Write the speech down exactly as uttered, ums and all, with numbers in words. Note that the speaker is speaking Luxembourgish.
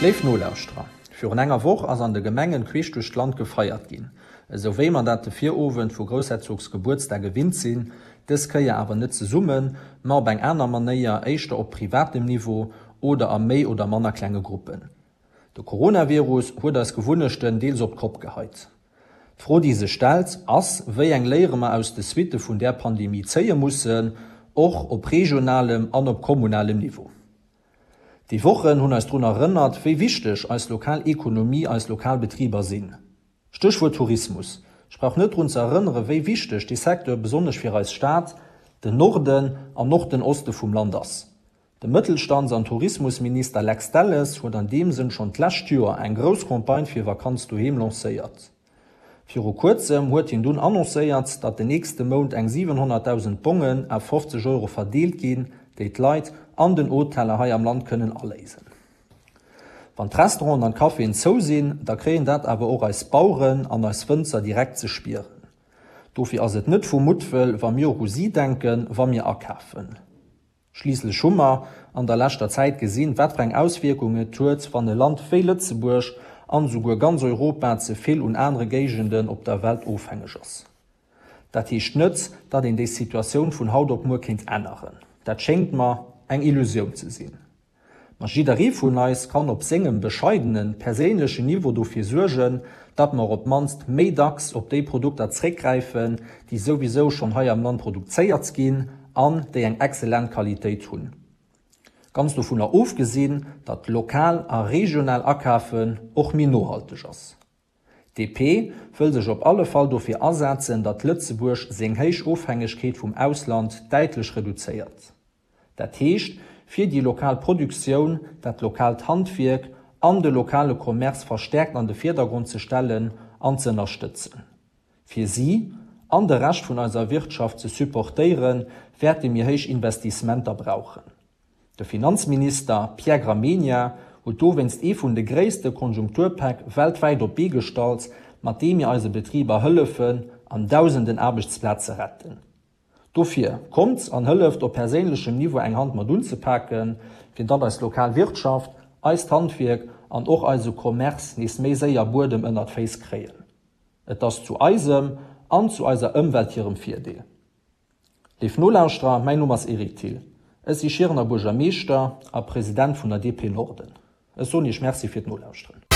Léif Nolauschterer, virun enger Woch ass an de Gemengen queesch duerch d'Land gefeiert ginn, esou wéi mer dat de Virowend vu Groussherzogsgebuertsdag gewinnt sinn, dës Kéier awer net zesummen, ma op eng aner Manéier, éischter op privatem Niveau oder a méi oder manner klenge Gruppen. De Coronavirus huet eis Gewunnechten deels op d'Kopp geheit. D'Fro, déi sech stellt, ass, wéi eng Léiere mer aus de Suitte vun där Pandemie zéie mussen, och op regionalem an op kommunalem Niveau. Déi Wochen hunn eis drun erënnert, wéi wichteg eis lokal Ekonomie, eis lokal Betriber sinn. Stéchwuert Tourismus. Ech brauch net drun ze erënneren, wéi wichteg dee Secteur besonnesch fir eis Stad, den Norden an och den Oste vum Land ass. De Mëttelstands an Tourismusminister Lex Delles huet an deem Sënn schonn d'lescht Joer eng grouss Campagne fir Vakanz doheem lancéiert. Viru kuerzem huet hien dunn annoncéiert, datt den nächste Mount eng siwenhonnertdausend Bongen à fofzeg Euro verdeelt ginn, déi d'Leit an den Hoteller hei am Land kënnen aléisen. Wann d'Restauranten an d'Caféen zou sinn, da kréien dat awer och eis Baueren an eis Wënzer direkt ze spieren. Dofir ass et net vu Muttwëll, wa mir och u si denken, wa mir akafen. Schliisslech hu mer an der leschter Zäit gesinn, wat fir eng Auswierkung et huet, wann e Land wéi Lëtzebuerg an esouguer ganz Europa ze vill un anere Géigenden op der Welt ofhängeg ass. Dat heescht net, datt een déi Situatioun vun haut op muer kéint änneren. Dat schéngt mer eng Illusioun ze sinn. Ma jidderee vun eis kann op sengem bescheidenen, perséinlechen Niveau dofir suergen, datt mer op d'mannst méi dacks op déi Produkter zréckgräifen, déi souwisou schonn hei am Land produzéiert ginn an déi eng exzellent Qualitéit hunn. Ganz dovunner ofgesinn, datt lokal a regional akafen och méi nohalteg ass. D P wëll sech op alle Fall dofir asetzen, datt Lëtzebuerg seng héich Ofhängegkeet vum Ausland däitlech reduzéiert. Dat heescht, fir déi lokal Produktioun, dat lokaalt Handwierk an de lokale Commerce verstäerkt an de Virdergrond ze stellen an ze ënnerstëtzen. Fir si an de Rescht vun eiser Wirtschaft ze supportéieren, wäerte mir héich Investissementer brauchen. De Finanzminister Pierre Gramegna huet dowéinst ee vun de gréisste Konjunkturpäck weltwäit op d'Bee gestallt, mat deem mir eise Betriber hëllefen an dausenden Aarbechtsplaze retten. Dofir, kommt an hëlleft op perséinlechem Niveau eng Hand mat unzepaken, fir datt eis lokal Wirtschaft, eist Handwierk an och eise Commerce nees méi séier Buedem ënnert d'Féiss kréien. Et ass zu eisem an zu eiser Ëmwelt hirem Virdeel. Léif Nolauschterer, mäin Numm ass Eric Thill. Ech si Schierener Buergermeeschter a President vun der D P Norden. Ech soen Iech Merci fir d'Nolauschteren.